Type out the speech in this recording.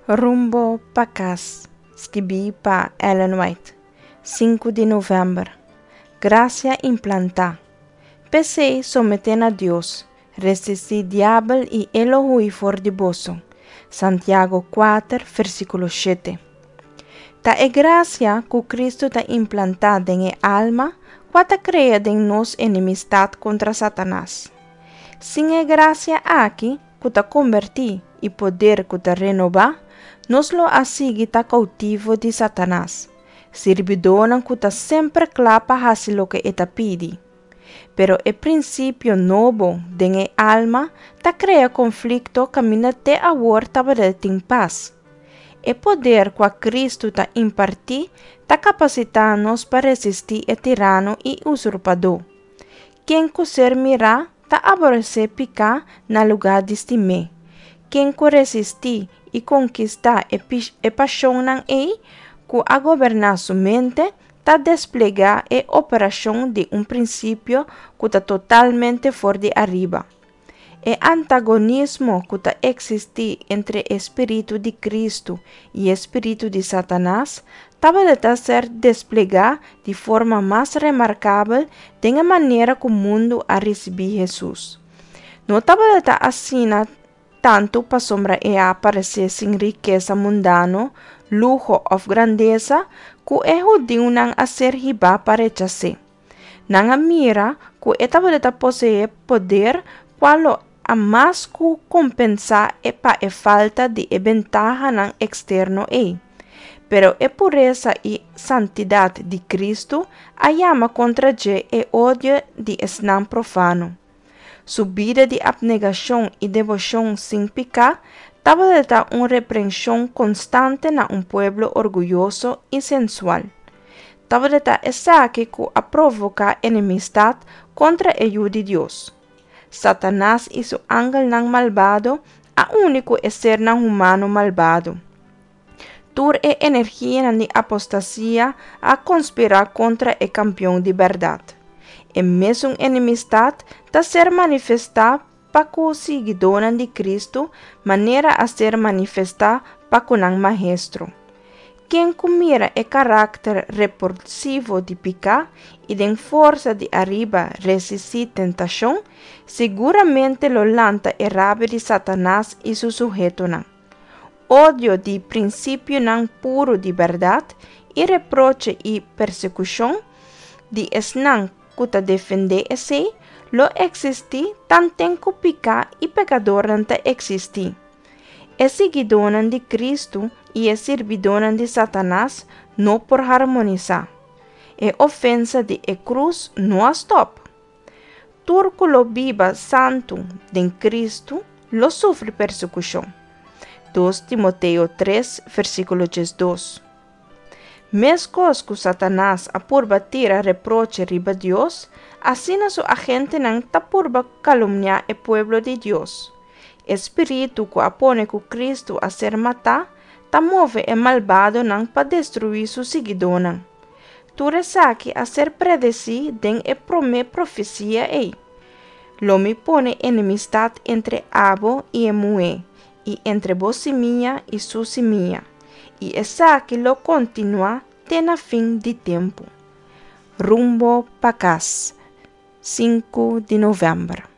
Rumbo pa kas, skibí pa Ellen White, sinku di novèmber. Grasia implantá. P'esei, someté na Dios, resistí diabel i e lo hui for di boso. Santiago kuater, versíkulo shete. Ta e grasia ku Kristu ta implantá den e alma kua ta krea den nos enemistat kontra Satanas. Sin e grasia aki, ku ta kombertí i poder ku ta renobá, nos lo a sigui ta koutivo di Satanas, sirbidónan ku ta semper kla pa hasi loke e ta pidi. Pero e prinsipio nobo den e alma ta krea konflikto kaminda te awor tabata tin pas. E poder kua Kristu ta impartí ta kapasitá nos pa resistí e tirano i usurpadó. Ken ku ser mirá ta aboresé piká na lugá di stim'é. Ken ku resistí i konkistá e e pashonnan ei ku a goberná su mente, ta desplegá e operashon di un prinsipio ku ta totalmente for di ariba. E antagonismo ku ta eksistí entre e spiritu di Kristu i e spiritu di Satanas tabata ta ser desplegá di forma mas remarkabel den e manera ku mundu a risibí Hesus. No tabata ta asina tantu pasobra e a aparesé sin rikesa mundano, luho òf grandesa ku e hudiunan a ser hibá pa rechas'é. Nan a mira ku e tabata poseé poder kua lo a mas ku kompensá e pa e falta di e bentahanan eksterno ei. Pero e puresa i santidat di Kristu a yama kontra dje e odio di esnan profano. Su bida di apnegashon i deboshon sin piká tabata un reprenshon konstante na un pueblo orguyoso i sensual. Tabata esaki ku a provoká enemistat kontra e Yu di Dios. Satanas i su angelnan malbado a uni ku e sernan humano malbado. Tur e energianan di apostasia a konspirá kontra e Kampion di bèrdat. E mesun enemistat ta ser manifestá pa ku siguidónan di Kristu manera a ser manifestá pa ku nan Maestro. Ken ku mira e karakter repulsivo di piká i den forsa di ariba resistí tentashon, siguramente lo lanta e rabia di Satanas i su suhetonan. Odio di prinsipionan puru di bèrdat i reproche i persekushon di esnan ku ta defendé esei lo eksistí tanten ku piká i pekadornan ta eksistí. E siguidónan di Kristu i e sirbidónan di Satanas no por harmonisá. E ofensa di e krus no a stòp. Tur ku lo biba santu den Kristu lo sufri persekushon. Dos Timoteo tres, versíkulo diesdos. Meskos ku Satanas a purba tira reproche riba Dios, asina su agentenan ta purba kalumniá e pueblo di Dios. E spiritu ku a pone ku Kristu a ser matá ta move e malbadonan pa destruí su siguidónan. Tur esaki a ser predesí den e promé profesia ei, Lo mi pone enemistat entre abo i e muhé, i entre bo simia i su simia, i esaki lo kontinuá te na fin di tempu. Rumbo pa kas, sinku di novèmber.